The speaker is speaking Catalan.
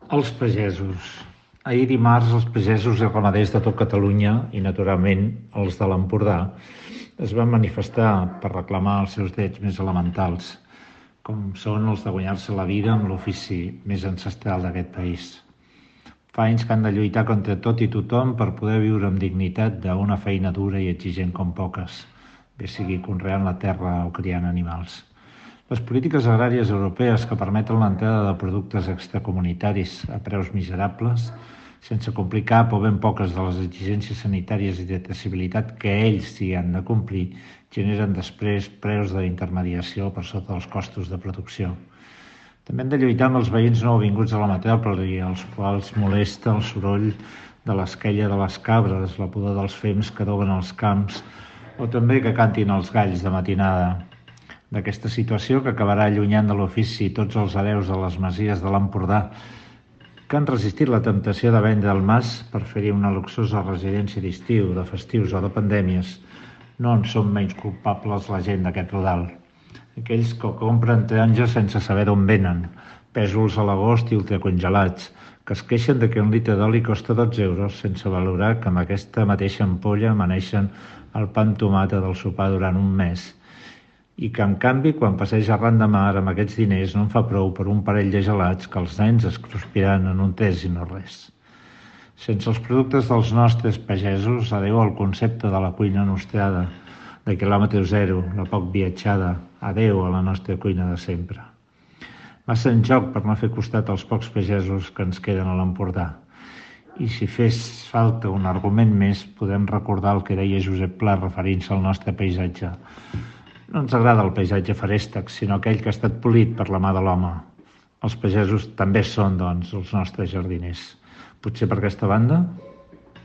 Els pagesos. Ahir dimarts, els pagesos i ramaders de tot Catalunya i, naturalment, els de l'Empordà es van manifestar per reclamar els seus drets més elementals, com són els de guanyar-se la vida amb l'ofici més ancestral d'aquest país. Fa anys que han de lluitar contra tot i tothom per poder viure amb dignitat d'una feina dura i exigent com poques, bé sigui conreant la terra o criant animals. Les polítiques agràries europees que permeten l'entrada de productes extracomunitaris a preus miserables, sense complir cap o ben poques de les exigències sanitàries i de traçabilitat que ells hi han de complir, generen després preus d'intermediació per sota dels costos de producció. També hem de lluitar amb els veïns nouvinguts a la metròpoli, als quals molesta el soroll de l'esquella de les cabres, la pudor dels fems que adoben els camps, o també que cantin els galls de matinada. D'aquesta situació que acabarà allunyant de l'ofici tots els hereus de les masies de l'Empordà que han resistit la temptació de vendre el mas per fer-hi una luxosa residència d'estiu, de festius o de pandèmies, no en són menys culpables la gent d'aquest rodal. Aquells que compren taronges sense saber d'on venen, pèsols a l'agost i ultracongelats, que es queixen de que un litre d'oli costa 12 euros sense valorar que amb aquesta mateixa ampolla amaneixen el pa amb tomata del sopar durant un mes, i que, en canvi, quan passeja arran de mar amb aquests diners no en fa prou per un parell de gelats que els nens es cruspiran en un tres i no res. Sense els productes dels nostres pagesos, adeu al concepte de la cuina nostrada, de quilòmetre zero, la poc viatjada, adeu a la nostra cuina de sempre. Massa en joc per no fer costat als pocs pagesos que ens queden a l'Empordà. I si fes falta un argument més, podem recordar el que deia Josep Pla referint-se al nostre paisatge. No ens agrada el paisatge feréstec, sinó aquell que ha estat polit per la mà de l'home. Els pagesos també són, doncs, els nostres jardiners. Potser per aquesta banda?